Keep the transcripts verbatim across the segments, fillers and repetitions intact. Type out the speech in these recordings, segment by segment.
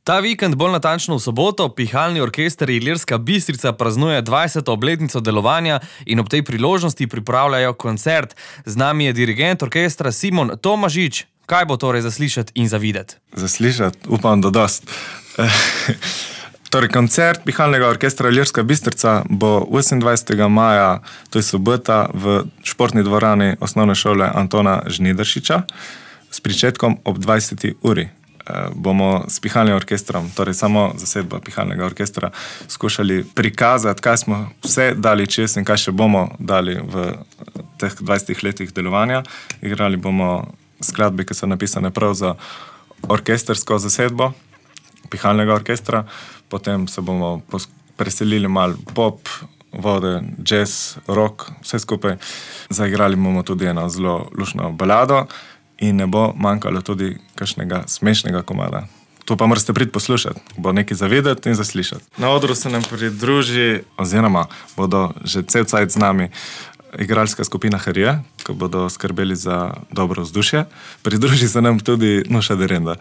Ta vikend, bolj natančno v soboto, Pihalni orkester Ilirska Bistrica praznuje dvajseto obletnico delovanja in ob tej priložnosti pripravljajo koncert. Z nami je dirigent orkestra Simon Tomažič. Kaj bo torej zaslišati in zavideti? Zaslišati? Upam, da dost. Torej, koncert Pihalnega orkestra Ilirska Bistrica bo osemindvajsetega maja, to je sobota, v športni dvorani osnovne šole Antona Žnidaršiča s pričetkom ob dvajseti uri. Bomo s Pihalnim orkestrom, torej samo zasedba Pihalnega orkestra, skušali prikazati, kaj smo vse dali čez in kaj še bomo dali v teh dvajsetih letih delovanja. Igrali bomo skladbe, ki so napisane prav za orkestersko zasedbo Pihalnega orkestra, potem se bomo preselili mal pop, vode, jazz, rock, vse skupaj. Zaigrali bomo tudi eno zelo lušno balado in ne bo manjkalo tudi kakšnega smešnega komada. To pa morate priti poslušati, bo nekaj zavedati in zaslišati. Na odru se nam pridruži, oziroma bodo že cel cajt z nami igralska skupina Harije, ko bodo skrbeli za dobro vzdušje. Pridruži se nam tudi Nuša Derenda.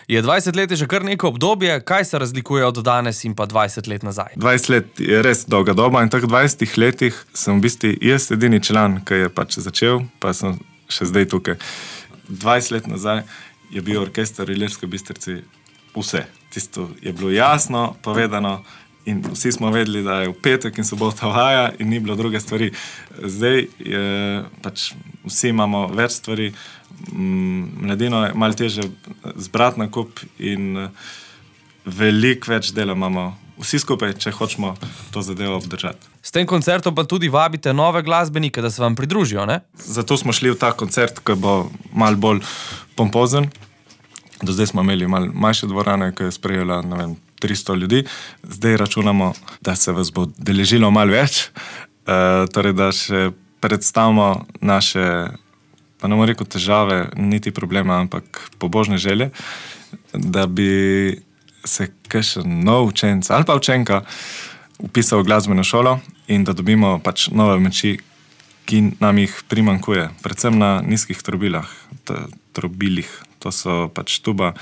Je dvajset let že kar neko obdobje, kaj se razlikuje od danes in pa dvajset let nazaj? dvajset let je res dolga doba in v teh dvajsetih letih sem v bistvu jaz edini član, ki je pač začel, pa sem še zdaj tukaj. dvajset let nazaj je bil orkester Ilirske Bistrici vse. Tisto je bilo jasno povedano in vsi smo vedeli, da je v petek in sobota vaja in ni bilo druge stvari. Zdaj je pač vsi imamo več stvari, mladino je malo teže zbrati na kup in veliko več dela imamo vsi skupaj, če hočemo to zadevo obdržati. S tem koncertom pa tudi vabite nove glasbenike, da se vam pridružijo, ne? Zato smo šli v ta koncert, ki bo malo bolj pompozen. Do zdaj smo imeli malo manjše dvorane, ki je sprejela, ne vem, tristo ljudi. Zdaj računamo, da se vas bo deležilo malo več, e, torej da še predstavimo naše, pa ne bom rekel težave, niti problema, ampak pobožne želje, da bi se kakšen nov učenc ali pa učenka upisal v glasbeno šolo in da dobimo pač nove moči, ki nam jih primanjkuje. Predvsem na nizkih trobilah, trobilih. To so pač tuba,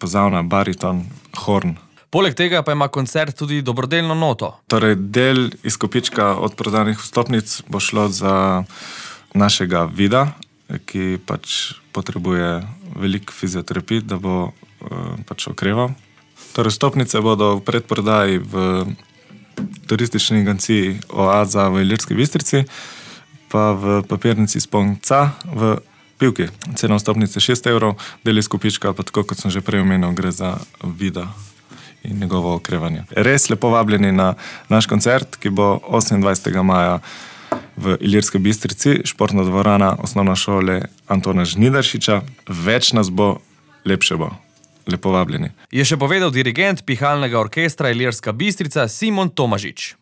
pozavna, bariton, horn. Poleg tega pa ima koncert tudi dobrodelno noto. Torej, del izkupička od prodanih vstopnic bo šlo za našega Vida, ki pač potrebuje veliko fizioterapij, da bo uh, pač okreval. Torej, vstopnice bodo v predprodaji v turistični agenciji Oaza v Ilirski Bistrici, pa v papirnici Sponca v Pivki. Cena vstopnice šest evrov, del izkupička, pa tako kot sem že prej omenil, gre za Vida in njegovo okrevanje. Res lepo vabljeni na naš koncert, ki bo osemindvajsetega maja v Ilirski Bistrici, športna dvorana osnovne šole Antona Žnidaršiča. Več nas bo, lepše bo. Lepo vabljeni. Je še povedal dirigent Pihalnega orkestra Ilirska Bistrica Simon Tomažič.